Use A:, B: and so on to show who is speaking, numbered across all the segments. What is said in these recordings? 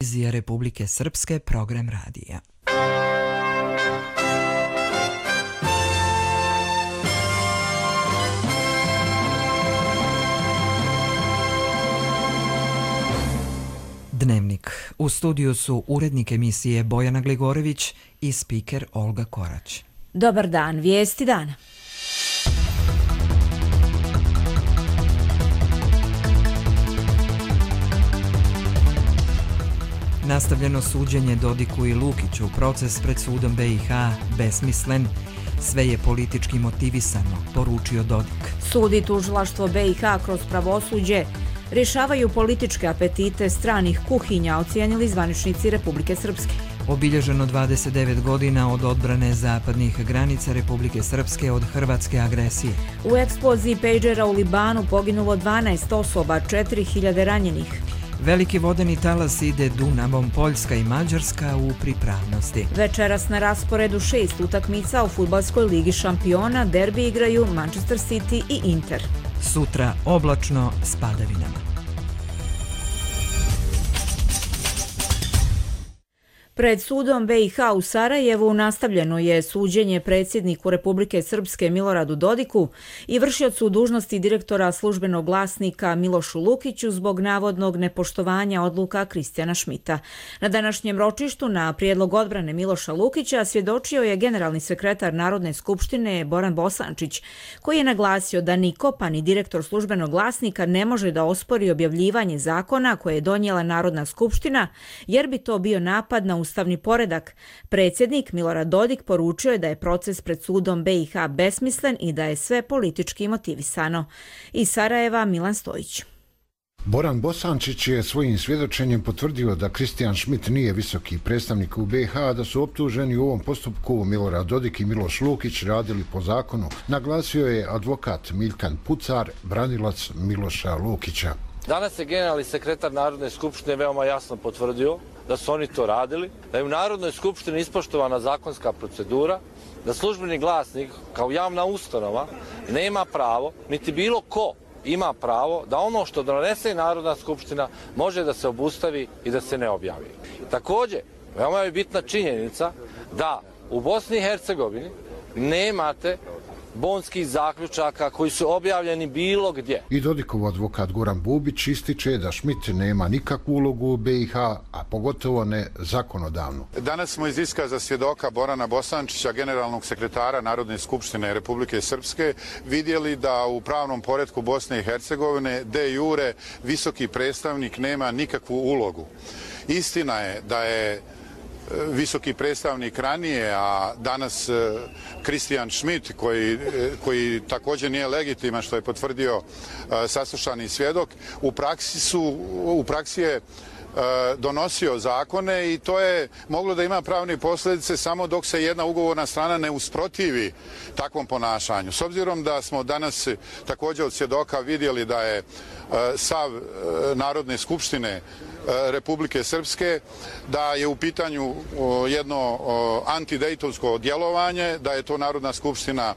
A: Televizija Republike Srpske, program radija. Dnevnik. U studiju su urednik emisije Bojana Gligorević i spiker Olga Korać.
B: Dobar dan, vijesti dana.
A: Nastavljeno suđenje Dodiku i Lukiću, proces pred sudom BiH besmislen, sve je politički motivisano, poručio Dodik.
B: Sud i tužilaštvo BiH kroz pravosuđe rješavaju političke apetite stranih kuhinja, ocijenili zvaničnici Republike Srpske.
A: Obilježeno 29 godina od odbrane zapadnih granica Republike Srpske od hrvatske agresije.
B: U eksploziji pejđera u Libanu poginulo 12 osoba, 4000 ranjenih.
A: Veliki vodeni talas ide Dunavom, Poljska i Mađarska u pripravnosti.
B: Večeras na rasporedu 6 utakmica u fudbalskoj ligi šampiona, derbi igraju Manchester City i Inter.
A: Sutra oblačno s padavinama.
B: Pred sudom BiH u Sarajevu nastavljeno je suđenje predsjedniku Republike Srpske Miloradu Dodiku i vršiocu dužnosti direktora službenog glasnika Milošu Lukiću zbog navodnog nepoštovanja odluka Kristijana Šmita. Na današnjem ročištu na prijedlog odbrane Miloša Lukića svjedočio je generalni sekretar Narodne skupštine Boran Bosančić, koji je naglasio da niko, pa ni direktor službenog glasnika, ne može da ospori objavljivanje zakona koje je donijela Narodna skupština, jer bi to bio napad na ustavni poredak. Predsjednik Milorad Dodik poručio je da je proces pred sudom BiH besmislen i da je sve politički motivisano. Iz Sarajeva Milan Stojić.
C: Boran Bosančić je svojim svjedočenjem potvrdio da Kristijan Šmit nije visoki predstavnik u BiH, da su optuženi u ovom postupku Milorad Dodik i Miloš Lukić radili po zakonu. Naglasio je advokat Miljkan Pucar, branilac Miloša Lukića.
D: Danas je generalni sekretar Narodne skupštine veoma jasno potvrdio da su oni to radili, da je u Narodnoj skupštini ispoštovana zakonska procedura, da službeni glasnik kao javna ustanova nema pravo, niti bilo ko ima pravo da ono što donese Narodna skupština može da se obustavi i da se ne objavi. Također, veoma je bitna činjenica da u Bosni i Hercegovini nemate bonskih zaključaka koji su objavljeni bilo gdje.
C: I Dodikov advokat Goran Bubić ističe da Šmit nema nikakvu ulogu u BiH, a pogotovo ne zakonodavnu.
E: Danas smo iz iskaza svjedoka Borana Bosančića, generalnog sekretara Narodne skupštine Republike Srpske, vidjeli da u pravnom poretku Bosne i Hercegovine de jure visoki predstavnik nema nikakvu ulogu. Istina je da je visoki predstavnik ranije, a danas Kristijan Šmit, koji također nije legitiman, što je potvrdio saslušani svjedok, u praksi je donosio zakone i to je moglo da ima pravne posljedice samo dok se jedna ugovorna strana ne usprotivi takvom ponašanju. S obzirom da smo danas također od svjedoka vidjeli da je sav Narodne skupštine Republike Srpske, da je u pitanju jedno antidejtonsko djelovanje, da je to Narodna skupština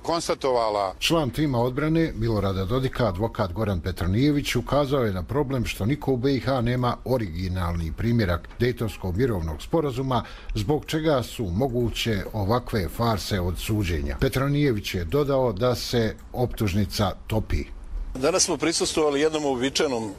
E: konstatovala.
C: Član tima odbrane Milorada Dodika, advokat Goran Petronijević, ukazao je na problem što niko u BiH nema originalni primjerak Dejtonskog mirovnog sporazuma, zbog čega su moguće ovakve farse od suđenja. Petronijević je dodao da se optužnica topi.
F: Danas smo prisustvovali jednom uobičajenom,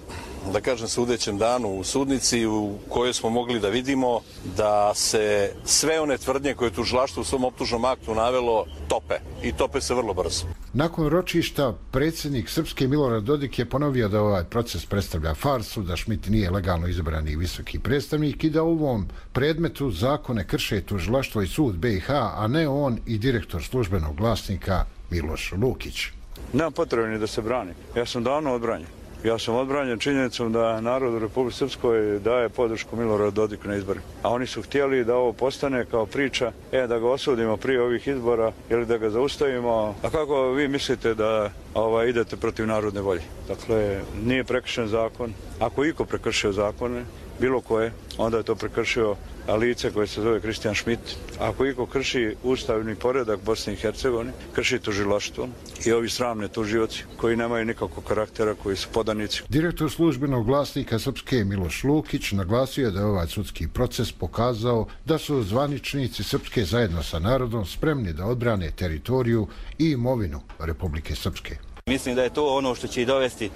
F: da kažem, sudećem danu u sudnici u kojoj smo mogli da vidimo da se sve one tvrdnje koje je tužilaštvo u svom optužnom aktu navelo tope. I tope se vrlo brzo.
C: Nakon ročišta, predsjednik Srpske Milorad Dodik je ponovio da ovaj proces predstavlja farsu, da Šmit nije legalno izabrani visoki predstavnik i da u ovom predmetu zakone krše tužilaštvo i sud BiH, a ne on i direktor službenog glasnika Miloš Lukić.
G: Nema potrebe ni da se brani. Ja sam davno odbranjen. Ja sam odbranjen činjenicom da narod u Republike Srpskoj daje podršku Miloradu Dodiku na izborima. A oni su htjeli da ovo postane kao priča, da ga osudimo prije ovih izbora ili da ga zaustavimo. A kako vi mislite da idete protiv narodne volje? Dakle, nije prekršen zakon. Ako iko prekršio zakone, bilo koje, onda je to prekršio lice koje se zove Kristijan Schmidt. Ako iko krši ustavni poredak Bosne i Hercegovine, krši tužilaštvo i ovi sramni tužioci koji nemaju nikakvog karaktera, koji su podanici.
C: Direktor službenog glasnika Srpske Miloš Lukić naglasio je da je ovaj sudski proces pokazao da su zvaničnici Srpske zajedno sa narodom spremni da odbrane teritoriju i imovinu Republike Srpske.
H: Mislim da je to ono što će i dovesti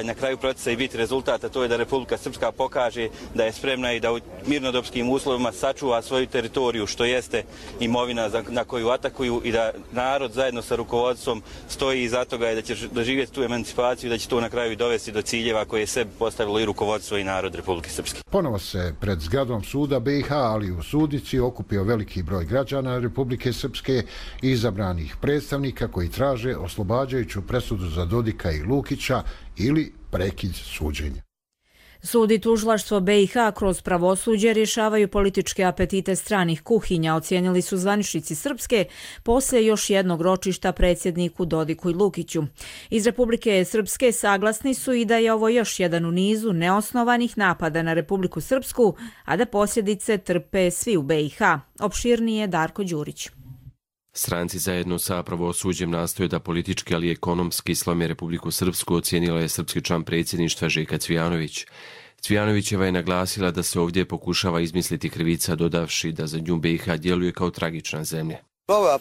H: na kraju procesa i biti rezultat, a to je da Republika Srpska pokaže da je spremna i da u mirnodopskim uslovima sačuva svoju teritoriju, što jeste imovina na koju atakuju, i da narod zajedno sa rukovodstvom stoji iza toga i da će doživjeti tu emancipaciju i da će to na kraju dovesti do ciljeva koje je sebi postavilo i rukovodstvo i narod Republike Srpske.
C: Ponovo se pred zgradom suda BiH, ali u sudnici, okupio veliki broj građana Republike Srpske i izabranih predstavnika koji traže oslobađajuću presudu za Dodika i Lukića ili prekid suđenja.
B: Sud i tužilaštvo BiH kroz pravosuđe rješavaju političke apetite stranih kuhinja, ocijenili su zvaničnici Srpske poslije još jednog ročišta predsjedniku Dodiku i Lukiću. Iz Republike Srpske saglasni su i da je ovo još jedan u nizu neosnovanih napada na Republiku Srpsku, a da posljedice trpe svi u BiH. Opširnije Darko Đurić.
I: Stranci zajedno sa pravosuđem nastoje da politički, ali i ekonomski slome Republiku Srpsku, ocijenila je srpski član predsjedništva Željka Cvijanović. Cvijanovićeva je naglasila da se ovdje pokušava izmisliti krivica, dodavši da za nju BiH djeluje kao tragična zemlja.
J: Ovo je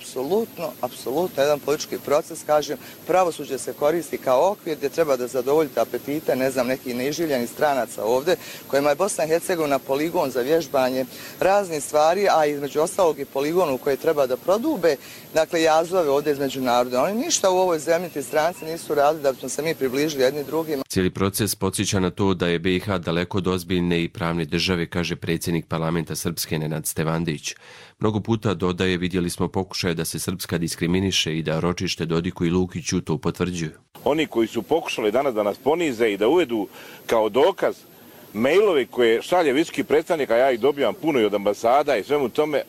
J: apsolutno jedan politički proces, kažem, pravosuđe se koristi kao okvir gdje treba da zadovoljite apetite, nekih neiživljenih stranaca ovdje, kojima je Bosna i Hercegovina poligon za vježbanje raznih stvari, a između ostalog i poligon u koje treba da prodube, jazove ovdje između naroda. Oni ništa u ovoj zemlji, ti stranci nisu radili da bismo se mi približili jedni drugima.
I: Cijeli proces podsjeća na to da je BiH daleko od ozbiljne i pravne države, kaže predsjednik parlamenta Srpske Nenad Stevandić. Mnogo puta dodaje, vidjeli smo pokušaje da se Srpska diskriminiše i da ročište Dodiku i Lukiću to potvrđuju.
K: Oni koji su pokušali danas da nas ponize i da uvedu kao dokaz mailove koje šalje visoki predstavnik, a ja ih dobijam puno i od ambasada i svemu tome,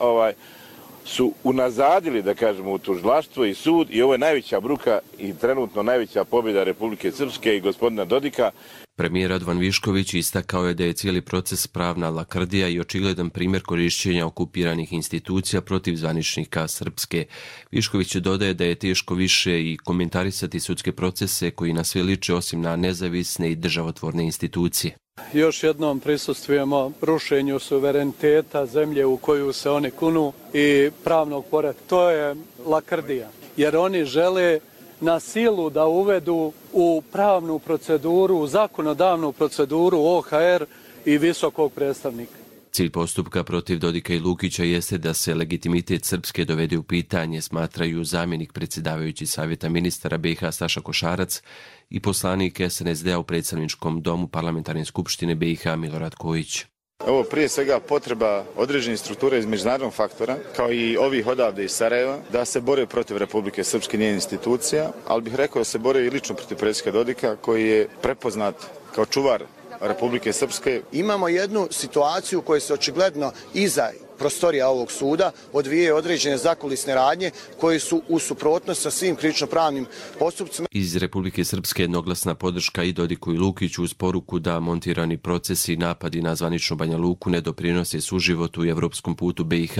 K: su unazadili, da kažemo, u tužilaštvo i sud, i ovo je najveća bruka i trenutno najveća pobjeda Republike Srpske i gospodina Dodika.
I: Premijer Radovan Višković istakao je da je cijeli proces pravna lakrdija i očigledan primjer korišćenja okupiranih institucija protiv zvaničnika Srpske. Višković dodaje da je teško više i komentarisati sudske procese koji na sve liče osim na nezavisne i državotvorne institucije.
L: Još jednom prisustvujemo rušenju suvereniteta zemlje u koju se oni kunu i pravnog poretka. To je lakrdija, jer oni žele na silu da uvedu u pravnu proceduru, u zakonodavnu proceduru OHR i visokog predstavnika.
I: Cilj postupka protiv Dodika i Lukića jeste da se legitimitet Srpske dovede u pitanje, smatraju zamjenik predsjedavajući Savjeta ministara BiH Staša Košarac i poslanik SNSD-a u predstavničkom domu Parlamentarne skupštine BiH Milorad Kojić.
M: Ovo prije svega potreba određenih struktura iz međunarodnog faktora, kao i ovih odavde iz Sarajeva, da se bore protiv Republike Srpske i njenih institucija, ali bih rekao da se bore i lično protiv predsjednika Dodika, koji je prepoznat kao čuvar Republike Srpske.
N: Imamo jednu situaciju koja se očigledno iza prostorija ovog suda odvijaju određene zakulisne radnje koje su u suprotnosti sa svim krivično-pravnim postupcima.
I: Iz Republike Srpske jednoglasna podrška i Dodiku i Lukiću uz poruku da montirani procesi i napadi na zvaničnu Banja Luku ne doprinose suživotu i evropskom putu BiH,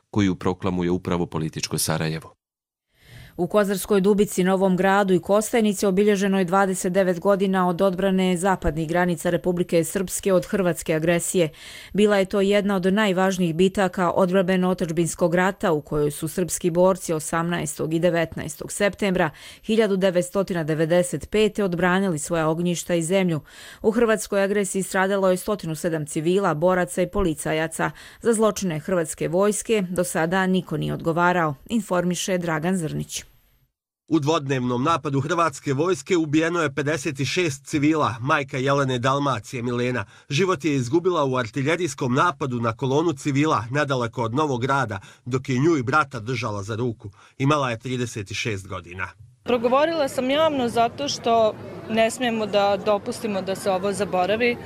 I: koju proklamuje upravo političko Sarajevo.
B: U Kozarskoj Dubici, Novom Gradu i Kostajnici obilježeno je 29 godina od odbrane zapadnih granica Republike Srpske od hrvatske agresije. Bila je to jedna od najvažnijih bitaka odbrambeno-otadžbinskog rata u kojoj su srpski borci 18. i 19. septembra 1995. odbranili svoja ognjišta i zemlju. U hrvatskoj agresiji stradalo je 107 civila, boraca i policajaca. Za zločine hrvatske vojske do sada niko nije odgovarao, informiše Dragan Zrnić.
O: U dvodnevnom napadu hrvatske vojske ubijeno je 56 civila. Majka Jelene Dalmacije, Milena, život je izgubila u artiljerijskom napadu na kolonu civila nedaleko od Novog Grada, dok je nju i brata držala za ruku. Imala je 36 godina.
P: Progovorila sam javno zato što ne smijemo da dopustimo da se ovo zaboravi.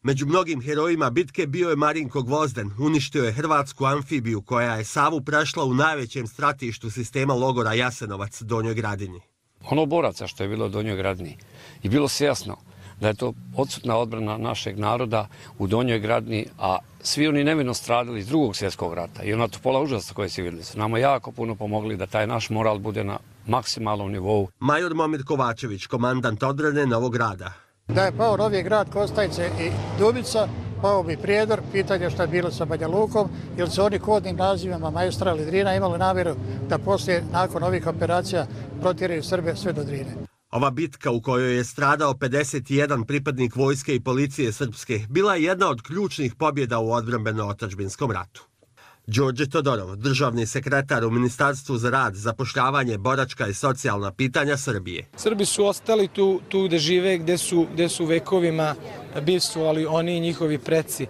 O: Među mnogim herojima bitke bio je Marinko Gvozden. Uništio je hrvatsku amfibiju koja je Savu prešla u najvećem stratištu sistema logora Jasenovac, Donjoj Gradini.
Q: Ono boraca što je bilo u Donjoj Gradini je bilo sve jasno da je to odsutna odbrana našeg naroda u Donjoj Gradini, a svi oni nevino stradali iz Drugog svjetskog rata i ona topola užasa koje se vidjeli su nama jako puno pomogli da taj naš moral bude na maksimalnom nivou.
O: Major Momir Kovačević, komandant odbrane Novog Grada.
R: Da je pao Novi Grad, Kostajce i Dubica, pao bi Prijedor, pitanje šta je bilo sa Banja Lukom, jer su oni kodnim nazivima Maestral i Drina imali namjeru da poslije, nakon ovih operacija, protjeraju Srbe sve do Drine.
O: Ova bitka u kojoj je stradao 51 pripadnik vojske i policije srpske bila je jedna od ključnih pobjeda u odbrambeno-otadžbinskom ratu. Đorđe Todorov, državni sekretar u Ministarstvu za rad, zapošljavanje, boračka i socijalna pitanja Srbije.
S: Srbi su ostali tu gde žive, gde su vekovima bivstvovali oni i njihovi preci.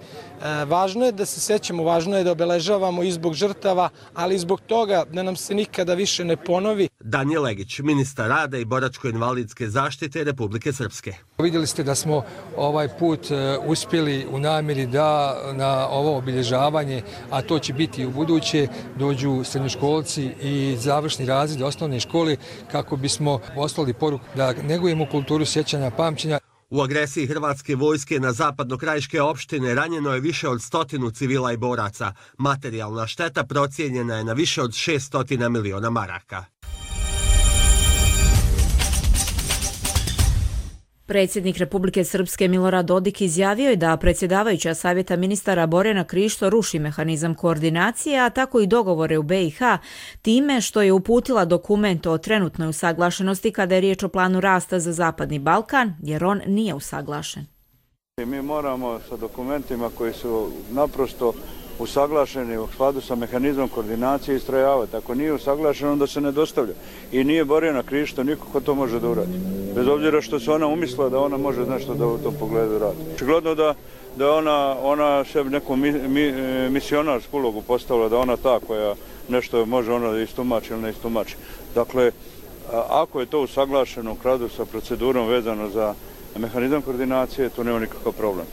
S: Važno je da se sećamo, važno je da obeležavamo i zbog žrtava, ali i zbog toga da nam se nikada više ne ponovi.
O: Danijel Legić, ministar rada i boračko-invalidske zaštite Republike Srpske.
T: Vidjeli ste da smo ovaj put uspjeli u namjeri da na ovo obilježavanje, a to će biti i u buduće, dođu srednjoškolci i završni razred osnovne škole kako bismo poslali poruku da negujemo kulturu sjećanja, pamćenja.
O: U agresiji hrvatske vojske na zapadnokrajiške opštine ranjeno je više od 100 civila i boraca. Materijalna šteta procijenjena je na više od 600 miliona maraka.
B: Predsjednik Republike Srpske Milorad Dodik izjavio je da predsjedavajuća savjeta ministara Borjana Krišto ruši mehanizam koordinacije, a tako i dogovore u BiH, time što je uputila dokument o trenutnoj usaglašenosti kada je riječ o planu rasta za Zapadni Balkan, jer on nije usaglašen.
G: Mi moramo sa dokumentima koji su naprosto usaglašeni u skladu sa mehanizmom koordinacije istrajavati. Ako nije usaglašeno, onda se ne dostavlja. I nije Borjana Krišto, niko ko to može da uradi. Bez obzira što se ona umislila da ona može nešto da u tom pogledu radi. Očigledno da ona se neku misionarsku ulogu postavila, da ona ta koja nešto može ona da istumači ili ne istumači. Dakle, ako je to usaglašeno u skladu sa procedurom vezano za mehanizam koordinacije, to nema nikakav problem.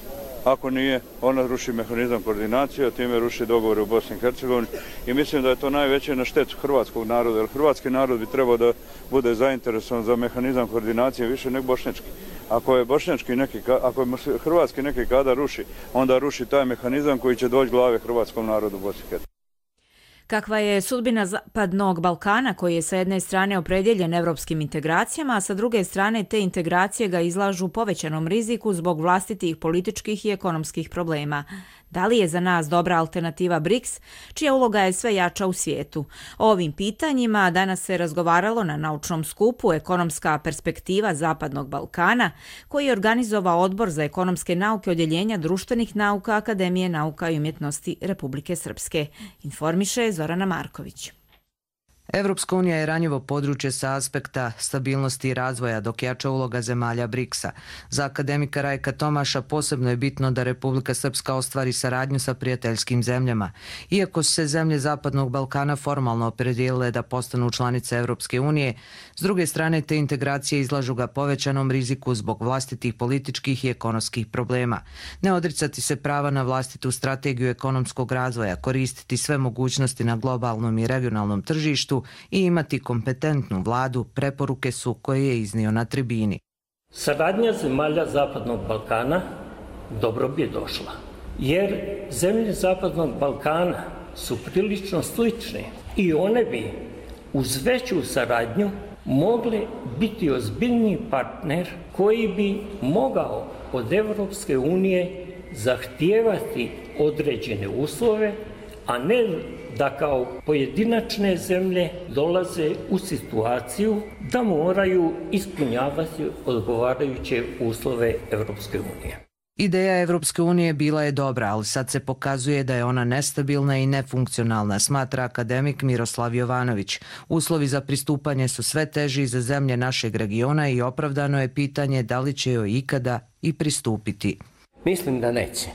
G: Ako nije, ona ruši mehanizam koordinacije, a time ruši dogovore u Bosni i Hercegovini i mislim da je to najveće na štetu hrvatskog naroda, jer hrvatski narod bi trebao da bude zainteresovan za mehanizam koordinacije više nego bošnjački. Ako je hrvatski neki kada ruši, onda ruši taj mehanizam koji će doći glave hrvatskom narodu u Bosni i Hercegovini.
B: Kakva je sudbina Zapadnog Balkana koji je sa jedne strane opredjeljen evropskim integracijama, a sa druge strane te integracije ga izlažu povećanom riziku zbog vlastitih političkih i ekonomskih problema. Da li je za nas dobra alternativa BRICS, čija uloga je sve jača u svijetu? O ovim pitanjima danas se razgovaralo na naučnom skupu Ekonomska perspektiva Zapadnog Balkana, koji je organizovao Odbor za ekonomske nauke Odjeljenja društvenih nauka Akademije nauka i umjetnosti Republike Srpske. Informiše Zorana Marković.
A: Evropska unija je ranjivo područje sa aspekta stabilnosti i razvoja, dok jača uloga zemalja BRICS-a. Za akademika Rajka Tomaša posebno je bitno da Republika Srpska ostvari saradnju sa prijateljskim zemljama. Iako su se zemlje Zapadnog Balkana formalno opredijelile da postanu članice Evropske unije, s druge strane te integracije izlažu ga povećanom riziku zbog vlastitih političkih i ekonomskih problema. Ne odricati se prava na vlastitu strategiju ekonomskog razvoja, koristiti sve mogućnosti na globalnom i regionalnom tržištu i imati kompetentnu vladu, preporuke su koje je iznio na tribini.
U: Saradnja zemalja Zapadnog Balkana dobro bi došla, jer zemlje Zapadnog Balkana su prilično slične i one bi uz veću saradnju mogle biti ozbiljni partner koji bi mogao od Evropske unije zahtijevati određene uslove, a ne da kao pojedinačne zemlje dolaze u situaciju da moraju ispunjavati odgovarajuće uslove Evropske unije.
A: Ideja Evropske unije bila je dobra, ali sad se pokazuje da je ona nestabilna i nefunkcionalna, smatra akademik Miroslav Jovanović. Uslovi za pristupanje su sve teži za zemlje našeg regiona i opravdano je pitanje da li će joj ikada i pristupiti.
V: Mislim da neće.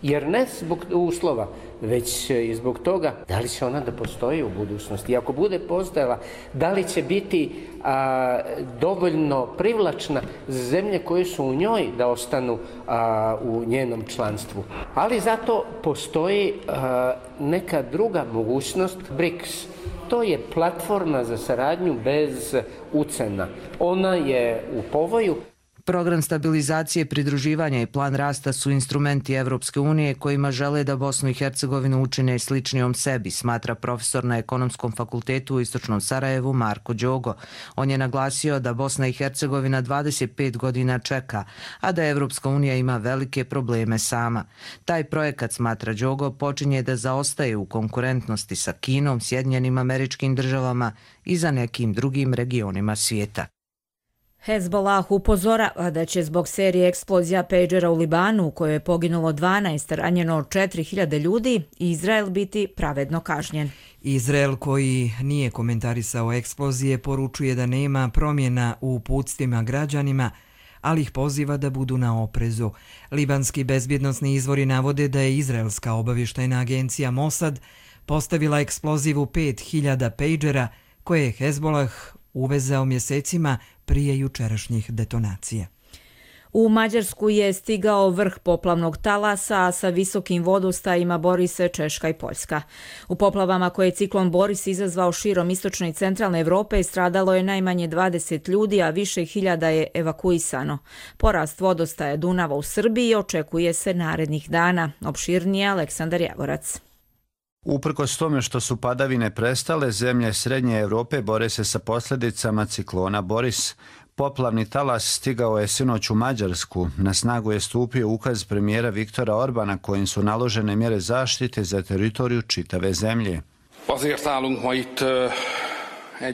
V: Jer ne zbog uslova, već i zbog toga da li će ona da postoji u budućnosti. I ako bude postojala, da li će biti dovoljno privlačna za zemlje koje su u njoj da ostanu u njenom članstvu. Ali zato postoji neka druga mogućnost, BRICS. To je platforma za saradnju bez ucena. Ona je u povoju.
A: Program stabilizacije, pridruživanja i plan rasta su instrumenti Evropske unije kojima žele da Bosnu i Hercegovinu učine sličnijom sebi, smatra profesor na Ekonomskom fakultetu u Istočnom Sarajevu Marko Đogo. On je naglasio da Bosna i Hercegovina 25 godina čeka, a da Evropska unija ima velike probleme sama. Taj projekat, smatra Đogo, počinje da zaostaje u konkurentnosti sa Kinom, Sjedinjenim Američkim Državama i za nekim drugim regionima svijeta.
B: Hezbollah upozorava da će zbog serije eksplozija pejđera u Libanu, u kojoj je poginulo 12, ranjeno 4000 ljudi, Izrael biti pravedno kažnjen.
D: Izrael, koji nije komentarisao eksplozije, poručuje da nema promjena u uputstvima građanima, ali ih poziva da budu na oprezu. Libanski bezbjednosni izvori navode da je izraelska obavještajna agencija Mossad postavila eksplozivu 5000 pejđera koje je Hezbollah uvezao mjesecima prije jučerašnjih detonacija.
B: U Mađarsku je stigao vrh poplavnog talasa, a sa visokim vodostajima bori se Češka i Poljska. U poplavama koje je ciklon Boris izazvao širom istočne i centralne Evrope stradalo je najmanje 20 ljudi, a više hiljada je evakuisano. Porast vodostaja Dunava u Srbiji očekuje se narednih dana. Opširnije Aleksandar Javorac.
E: Uprkos tome što su padavine prestale, zemlje Srednje Evrope bore se sa posljedicama ciklona Boris. Poplavni talas stigao je sinoć u Mađarsku. Na snagu je stupio ukaz premijera Viktora Orbana kojim su naložene mjere zaštite za teritoriju čitave zemlje.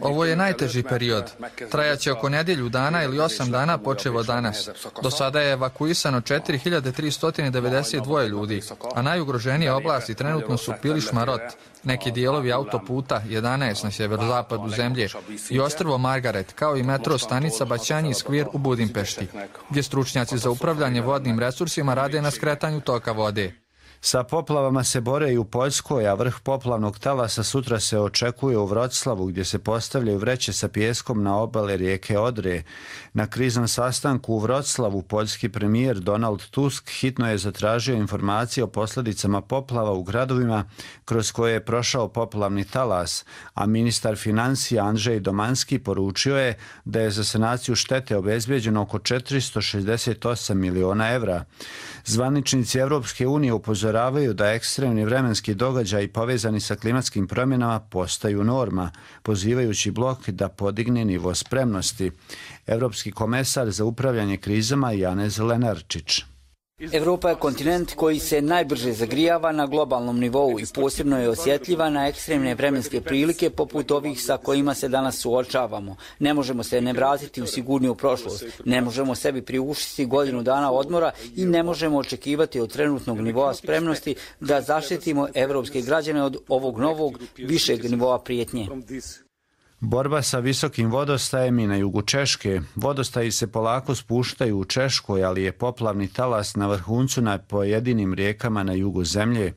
W: Ovo je najteži period. Trajaće oko nedjelju dana ili 8 dana počevo danas. Do sada je evakuisano 4392 ljudi, a najugroženije oblasti trenutno su Piliš Marot, neki dijelovi autoputa 11 na sjeverozapadu zemlje i ostrvo Margaret, kao i metro stanica Baćanji Skvir u Budimpešti, gdje stručnjaci za upravljanje vodnim resursima rade na skretanju toka vode.
E: Sa poplavama se bore i u Poljskoj, a vrh poplavnog talasa sutra se očekuje u Vroclavu, gdje se postavljaju vreće sa pijeskom na obale rijeke Odre. Na kriznom sastanku u Vroclavu poljski premijer Donald Tusk hitno je zatražio informacije o posljedicama poplava u gradovima kroz koje je prošao poplavni talas, a ministar financija Andrzej Domanski poručio je da je za sanaciju štete obezbijeđeno oko 468 miliona evra. Zvaničnici Evropske unije upozoravaju da ekstremni vremenski događaji povezani sa klimatskim promjenama postaju norma, pozivajući blok da podigne nivo spremnosti. Evropski komesar za upravljanje krizama Janez Lenarčić.
X: Evropa je kontinent koji se najbrže zagrijava na globalnom nivou i posebno je osjetljiva na ekstremne vremenske prilike poput ovih sa kojima se danas suočavamo. Ne možemo se ne vratiti u sigurniju prošlost, ne možemo sebi priuštiti godinu dana odmora i ne možemo očekivati od trenutnog nivoa spremnosti da zaštitimo evropske građane od ovog novog, višeg nivoa prijetnje.
E: Borba sa visokim vodostajem i na jugu Češke. Vodostaji se polako spuštaju u Češkoj, ali je poplavni talas na vrhuncu na pojedinim rijekama na jugu zemlje.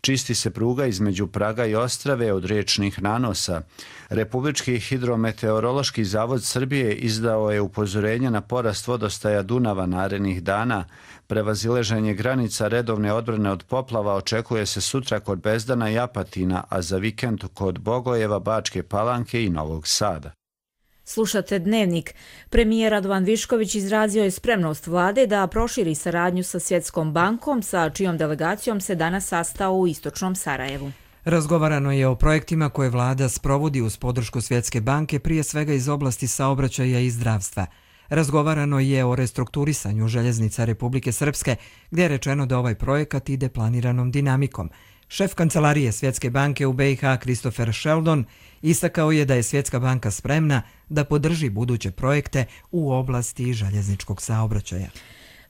E: Čisti se pruga između Praga i Ostrave od riječnih nanosa. Republički hidrometeorološki zavod Srbije izdao je upozorenje na porast vodostaja Dunava narednih dana. Prevazilaženje granica redovne odbrane od poplava očekuje se sutra kod Bezdana i Apatina, a za vikend kod Bogojeva, Bačke Palanke i Novog Sada.
B: Slušate Dnevnik. Premijer Radovan Višković izrazio je spremnost vlade da proširi saradnju sa Svjetskom bankom, sa čijom delegacijom se danas sastao u Istočnom Sarajevu.
D: Razgovarano je o projektima koje vlada sprovodi uz podršku Svjetske banke, prije svega iz oblasti saobraćaja i zdravstva. Razgovarano je o restrukturisanju željeznica Republike Srpske, gdje je rečeno da ovaj projekat ide planiranom dinamikom. Šef kancelarije Svjetske banke u BiH Christopher Sheldon istakao je da je Svjetska banka spremna da podrži buduće projekte u oblasti željezničkog saobraćaja.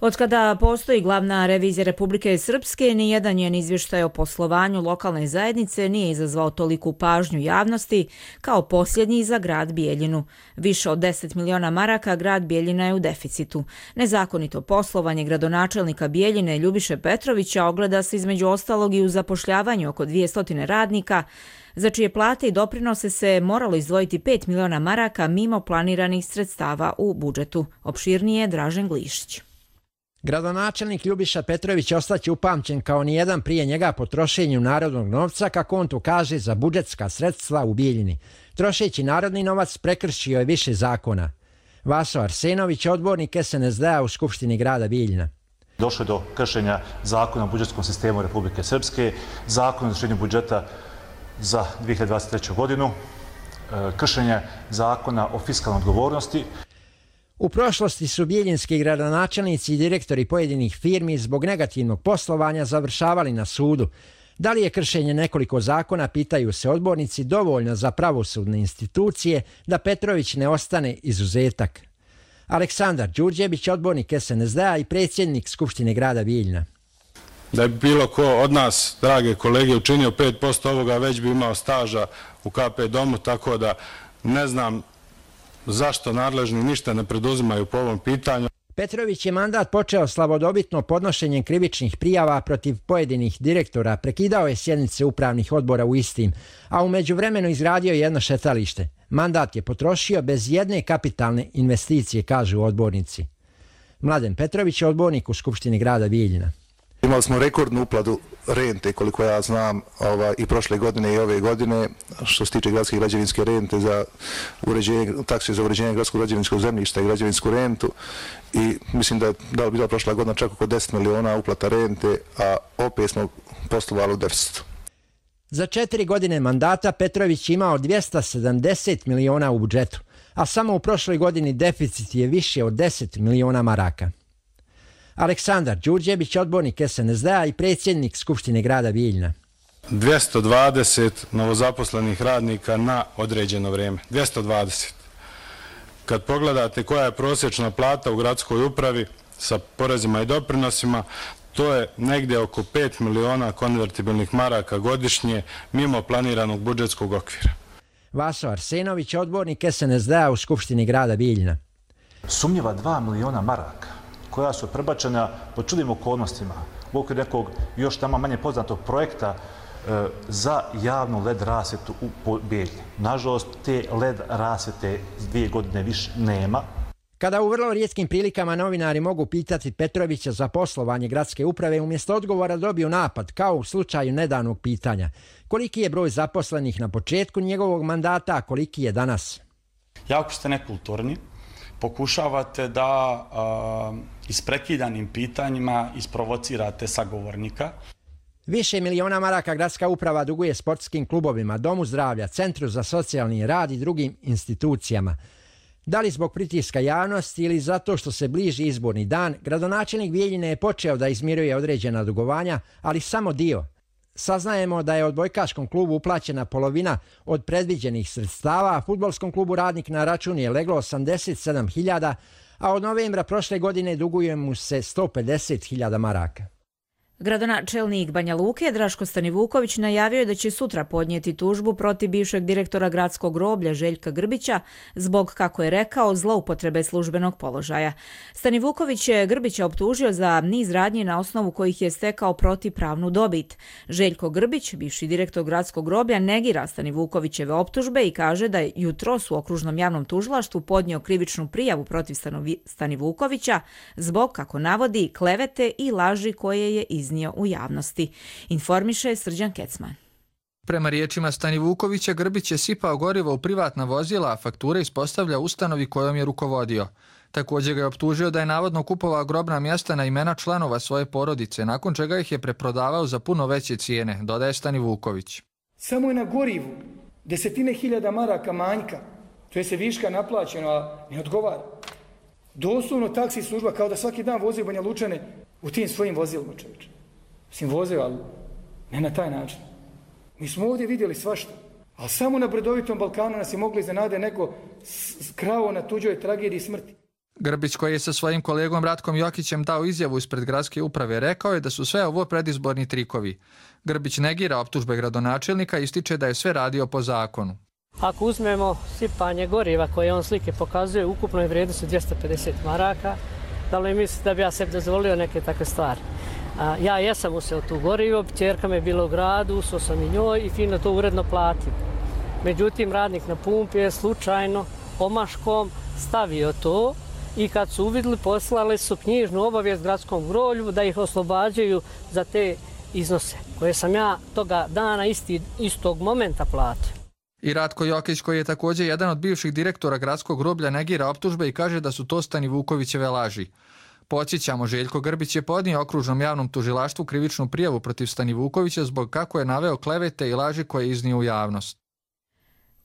B: Otkada postoji glavna revizija Republike Srpske, nijedan njen izvještaj o poslovanju lokalne zajednice nije izazvao toliku pažnju javnosti kao posljednji za grad Bijeljinu. Više od 10 miliona maraka grad Bijeljina je u deficitu. Nezakonito poslovanje gradonačelnika Bijeljine Ljubiše Petrovića ogleda se između ostalog i u zapošljavanju oko 200 radnika, za čije plate i doprinose se moralo izdvojiti 5 miliona maraka mimo planiranih sredstava u budžetu. Opširnije Dražen Glišić.
Y: Gradonačelnik Ljubiša Petrović ostaće upamćen kao nijedan prije njega po trošenju narodnog novca, kako on to kaže, za budžetska sredstva u Bijeljini. Trošeći narodni novac prekršio je više zakona. Vaso Arsenović, odbornik SNSD-a u Skupštini grada Bijeljina.
C: Došlo je do kršenja zakona o budžetskom sistemu Republike Srpske, zakona o izvršenju budžeta za 2023. godinu, kršenje zakona o fiskalnoj odgovornosti.
Y: U prošlosti su bijeljinski gradonačelnici i direktori pojedinih firmi zbog negativnog poslovanja završavali na sudu. Da li je kršenje nekoliko zakona, pitaju se odbornici, dovoljno za pravosudne institucije da Petrović ne ostane izuzetak? Aleksandar Đurđević, odbornik SNSD-a i predsjednik Skupštine grada Bijeljina.
F: Da je bilo ko od nas, drage kolege, učinio 5% ovoga, već bi imao staža u KP domu, tako da ne znam zašto nadležni ništa ne preduzimaju po ovom pitanju.
Y: Petrović je mandat počeo slavodobitno podnošenjem krivičnih prijava protiv pojedinih direktora, prekidao je sjednice upravnih odbora u istim, a u međuvremenu izgradio jedno šetalište. Mandat je potrošio bez jedne kapitalne investicije, kažu odbornici. Mladen Petrović je odbornik u Skupštini grada Bijeljina.
H: Imali smo rekordnu uplatu rente, koliko ja znam, i prošle godine i ove godine, što se tiče gradske građevinske rente za uređenje, takse za uređenje gradskog građevinskog zemljišta i građevinsku rentu. I mislim da je bila prošla godina čak oko 10 miliona uplata rente, a opet smo poslovali u deficitu.
Y: Za 4 godine mandata Petrović imao 270 miliona u budžetu, a samo u prošloj godini deficit je više od 10 miliona maraka. Aleksandar Đurđević, odbornik SNSD-a i predsjednik Skupštine grada Bijeljina.
F: 220 novozaposlenih radnika na određeno vrijeme. 220. Kad pogledate koja je prosječna plata u gradskoj upravi sa porezima i doprinosima, to je negdje oko 5 miliona konvertibilnih maraka godišnje mimo planiranog budžetskog okvira.
Y: Vaso Arsenović, odbornik SNSD-a u Skupštini grada Bijeljina.
C: Sumnjiva 2 miliona maraka koja su prebačena po čudnim okolnostima u okviru nekog još tamo manje poznatog projekta za javnu LED rasvjetu u Bijeljini. Nažalost, te LED rasvjete 2 godine više nema.
Y: Kada u vrlo rijetkim prilikama novinari mogu pitati Petrovića za poslovanje gradske uprave, umjesto odgovora dobiju napad, kao u slučaju nedavnog pitanja. Koliki je broj zaposlenih na početku njegovog mandata, a koliki je danas?
J: Jako ste nekulturni. Pokušavate da isprekidanim pitanjima isprovocirate sagovornika.
Y: Više miliona maraka gradska uprava duguje sportskim klubovima, Domu zdravlja, Centru za socijalni rad i drugim institucijama. Da li zbog pritiska javnosti ili zato što se bliži izborni dan, gradonačelnik Bijeljine je počeo da izmiruje određena dugovanja, ali samo dio. Saznajemo da je odbojkaškom klubu uplaćena polovina od predviđenih sredstava, a fudbalskom klubu Radnik na račun je leglo 87.000, a od novembra prošle godine duguje mu se 150.000 maraka.
B: Gradonačelnik Banja Luke Draško Stanivuković najavio je da će sutra podnijeti tužbu protiv bivšeg direktora gradskog groblja Željka Grbića zbog, kako je rekao, zloupotrebe službenog položaja. Stanivuković je Grbića optužio za niz radnji na osnovu kojih je stekao protivpravnu dobit. Željko Grbić, bivši direktor gradskog groblja, negira Stanivukovićeve optužbe i kaže da je jutros u okružnom javnom tužilaštvu podnio krivičnu prijavu protiv Stanivukovića zbog, kako navodi, klevete i laži koje je iznio u javnosti. Informiše Srđan Kecman.
W: Prema riječima Stanivukovića, Grbić je sipao gorivo u privatna vozila, a fakture ispostavlja ustanovi kojom je rukovodio. Također ga je optužio da je navodno kupovao grobna mjesta na imena članova svoje porodice, nakon čega ih je preprodavao za puno veće cijene, dodaje Stanivuković.
K: Samo je na gorivu 10.000 maraka manjka, to je se viška naplaćeno, a ne odgovara. Doslovno taksi služba kao da svaki dan vozi Banja Lučane u tim svojim vozilima, čovječe. Mislim, voze, ali ne na taj način. Mi smo ovdje vidjeli svašta, ali samo na bredovitom Balkanu nas je mogli iznenade neko krao na tuđoj tragediji smrti.
W: Grbić, koji je sa svojim kolegom Ratkom Jokićem dao izjavu ispred gradske uprave, rekao je da su sve ovo predizborni trikovi. Grbić negira optužbe gradonačelnika i ističe da je sve radio po zakonu.
Z: Ako uzmemo sipanje goriva koje on slike pokazuje, ukupno je vrijednost 250 maraka, da li mislite da bi ja sebi dozvolio neke takve stvari? Ja jesam useo tu gorivo, ćerka me je bila u gradu, usao sam i njoj i fino to uredno platio. Međutim, radnik na pumpi je slučajno omaškom stavio to i kad su uvidjeli, poslali su knjižnu obavijest gradskom groblju da ih oslobađaju za te iznose koje sam ja toga dana istog momenta platio.
W: I Ratko Jokić, koji je također jedan od bivših direktora gradskog groblja, negira optužbe i kaže da su to Stanivukovićeve laži. Podsjećamo, Željko Grbić je podnio okružnom javnom tužilaštvu krivičnu prijavu protiv Stanivukovića zbog kako je naveo klevete i laži koje je iznio u javnost.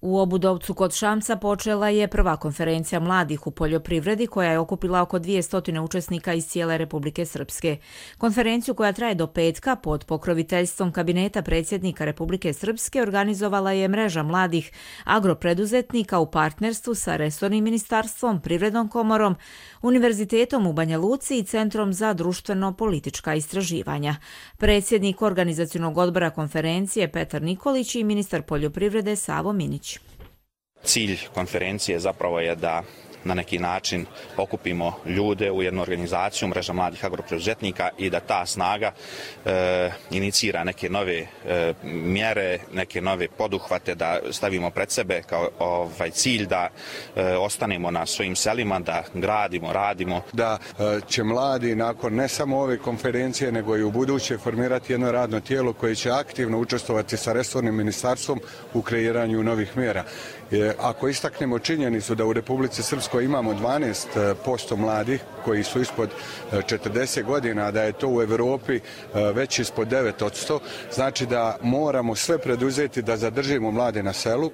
B: U Obudovcu kod Šamca počela je prva konferencija mladih u poljoprivredi koja je okupila oko 200 učesnika iz cijele Republike Srpske. Konferenciju koja traje do petka pod pokroviteljstvom kabineta predsjednika Republike Srpske organizovala je mreža mladih agropreduzetnika u partnerstvu sa resornim ministarstvom, Privrednom komorom, Univerzitetom u Banja Luci i Centrom za društveno-politička istraživanja. Predsjednik organizacionog odbora konferencije Petar Nikolić i ministar poljoprivrede Savo Minić.
I: Cilj konferencije zapravo je da na neki način okupimo ljude u jednu organizaciju, mreža mladih agropreduzetnika, i da ta snaga inicira neke nove mjere, neke nove poduhvate, da stavimo pred sebe kao cilj da ostanemo na svojim selima, da gradimo, radimo.
L: Da će mladi nakon ne samo ove konferencije, nego i u buduće formirati jedno radno tijelo koje će aktivno učestvovati sa resornim ministarstvom u kreiranju novih mjera. Ako istaknemo činjenicu da u Republici Srpskoj imamo 12% mladih koji su ispod 40 godina, da je to u Evropi već ispod 9%, znači da moramo sve preduzeti da zadržimo mlade na selu.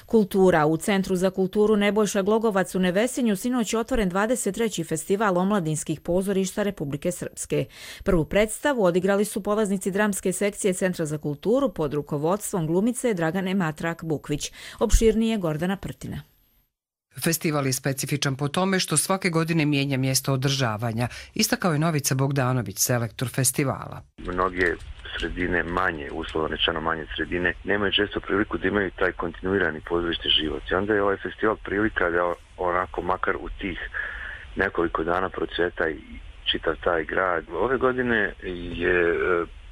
B: Kultura. U Centru za kulturu Nebojša Glogovac u Nevesinju sinoć je otvoren 23. festival omladinskih pozorišta Republike Srpske. Prvu predstavu odigrali su polaznici dramske sekcije Centra za kulturu pod rukovodstvom glumice Dragane Matrak-Bukvić. Opširnije Gordana Prtina.
M: Festival je specifičan po tome što svake godine mijenja mjesto održavanja, istakao je Novica Bogdanović, selektor festivala.
N: Mnoge sredine manje, uslovno rečeno manje sredine, nemaju često priliku da imaju taj kontinuirani pozorišni život. I onda je ovaj festival prilika da onako makar u tih nekoliko dana procveta i čitav taj grad. Ove godine je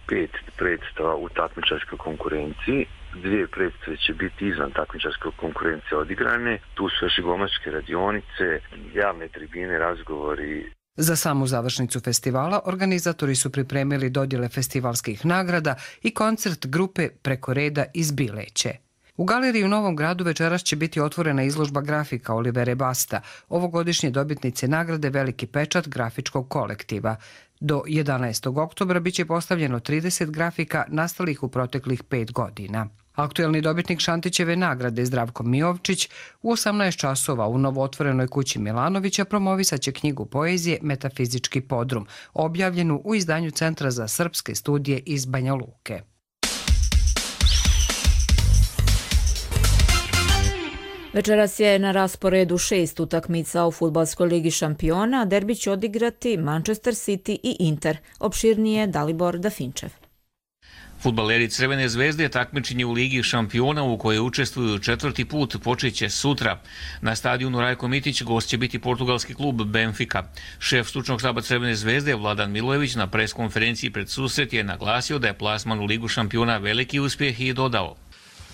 N: 5 predstava u takmičarskoj konkurenciji. 2 predstave će biti izvan takmičarske konkurencije odigrane. Tu su još i glumačke radionice, javne tribine, razgovori.
M: Za samu završnicu festivala organizatori su pripremili dodjele festivalskih nagrada i koncert grupe Preko reda iz Bileće. U galeriji u Novom Gradu večeras će biti otvorena izložba grafika Olivere Basta, ovogodišnje dobitnice nagrade Veliki pečat grafičkog kolektiva. Do 11. oktobra biće postavljeno 30 grafika nastalih u proteklih 5 godina. Aktuelni dobitnik Šantićeve nagrade Zdravko Mijovčić u 18 časova u novootvorenoj kući Milanovića promovisat će knjigu poezije Metafizički podrum, objavljenu u izdanju Centra za srpske studije iz Banja Luke.
B: Večeras je na rasporedu 6 utakmica u Fudbalskoj ligi šampiona, derbi će odigrati Manchester City i Inter. Opširnije Dalibor Dafinčev.
P: Fudbaleri Crvene zvezde takmičenje u Ligi šampiona u kojoj učestvuju 4. put počeće sutra. Na stadionu Rajko Mitić gost će biti portugalski klub Benfica. Šef stručnog štaba Crvene zvezde Vladan Milojević na pres konferenciji pred susret je naglasio da je plasman u Ligu šampiona veliki uspjeh i dodao: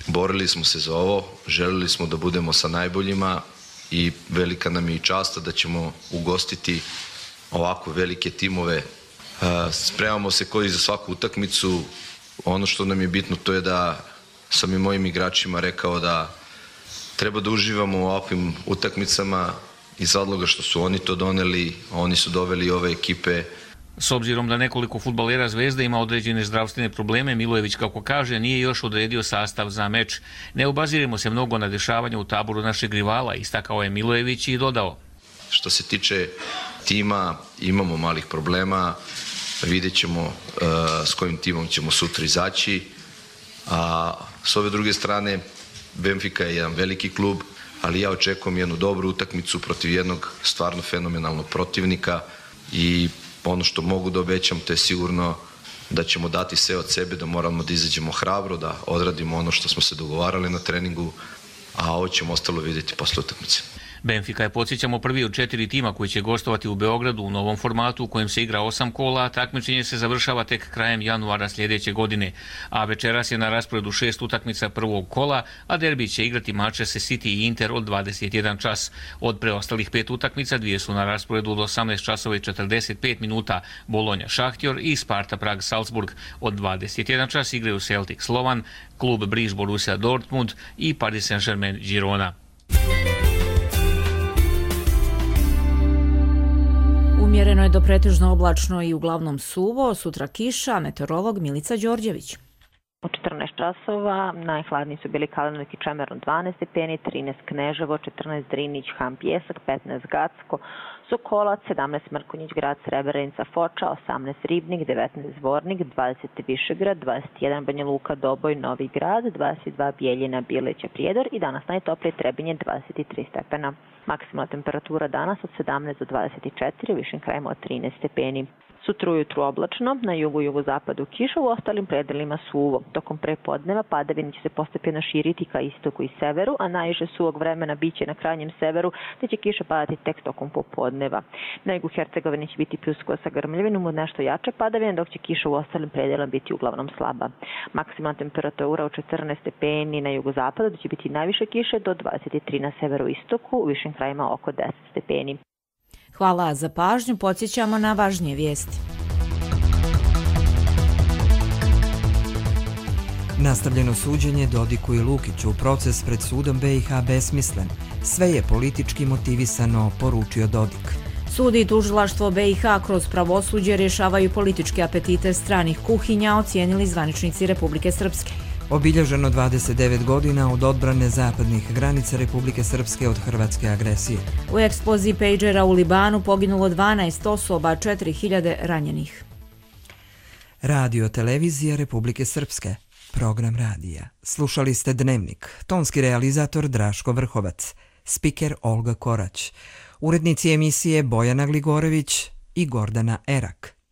Q: borili smo se za ovo, želili smo da budemo sa najboljima i velika nam je i čast da ćemo ugostiti ovako velike timove. Spremamo se koji za svaku utakmicu. Ono što nam je bitno to je da sam i mojim igračima rekao da treba da uživamo u ovakvim utakmicama iz razloga što su oni to doneli, oni su doveli ove ekipe.
P: S obzirom da nekoliko fudbalera Zvezde ima određene zdravstvene probleme, Milojević, kako kaže, nije još odredio sastav za meč. Ne obaziremo se mnogo na dešavanja u taboru našeg rivala, istakao je Milojević i dodao:
Q: što se tiče tima, imamo malih problema, vidjet ćemo s kojim timom ćemo sutra izaći. A s ove druge strane, Benfica je jedan veliki klub, ali ja očekujem jednu dobru utakmicu protiv jednog stvarno fenomenalnog protivnika i ono što mogu da obećam, to je sigurno da ćemo dati sve od sebe, da moramo da izađemo hrabro, da odradimo ono što smo se dogovarali na treningu, a ovo ćemo ostalo vidjeti posle utakmice.
P: Benfica je, podsjećamo, prvi od 4 tima koji će gostovati u Beogradu u novom formatu u kojem se igra 8 kola, a takmičenje se završava tek krajem januara sljedeće godine. A večeras je na rasporedu 6 utakmica prvog kola, a derbi će igrati Manchester City i Inter od 21 čas. Od preostalih 5 utakmica 2 su na rasporedu od 18 časova i 45 minuta. Bolonja Šahtjor i Sparta Prag Salzburg. Od 21 čas igraju Celtic Slovan, klub Briž Borussia Dortmund i Paris Saint-Germain Girona.
B: Umjereno je do pretežno oblačno i uglavnom suvo, sutra kiša, meteorolog Milica Đorđević.
G: U 14 časova najhladniji su bili Kalinović i Čemerun 12 stepeni, 13 Kneževo, 14 Drinić, Han Pjesak, 15 Gacko, Sokolac, 17 Mrkonjić, grad Srebrenica, Foča, 18 Ribnik, 19 Zvornik, 20 Višegrad, 21 Banja Luka, Doboj, Novi Grad, 22 Bijeljina, Bileća, Prijedor i danas najtoplije Trebinje 23 stepena. Maksimalna temperatura danas od 17 do 24, u višim krajima od 13 stepeni. Sutra ujutru oblačno, na jugu i jugozapadu kiša, u ostalim predelima suvo. Tokom prepodneva padavine će se postepeno širiti ka istoku i severu, a najviše suvog vremena biće na krajnjem severu, te će kiša padati tek tokom popodneva. Na jugu Hercegovine će biti pljuskova sa grmljavinom od nešto jače padavine, dok će kiša u ostalim predelima biti uglavnom slaba. Maksimalna temperatura od 14 stepeni na jugozapadu, da će biti najviše kiše do 23 na severu i istoku, u višim krajima oko 10 stepeni.
B: Hvala za pažnju, podsjećamo na važnije vijesti.
D: Nastavljeno suđenje Dodiku i Lukiću, proces pred sudom BiH besmislen. Sve je politički motivisano, poručio Dodik.
B: Sud i tužilaštvo BiH kroz pravosuđe rješavaju političke apetite stranih kuhinja, ocijenili zvaničnici Republike Srpske.
D: Obilježeno 29 godina od odbrane zapadnih granica Republike Srpske od hrvatske agresije.
B: U eksploziji pejđera u Libanu poginulo 12 osoba, 4000 ranjenih.
D: Radio televizija Republike Srpske. Program radija. Slušali ste Dnevnik. Tonski realizator Draško Vrhovac. Spiker Olga Korać. Urednici emisije Bojana Gligorević i Gordana Erak.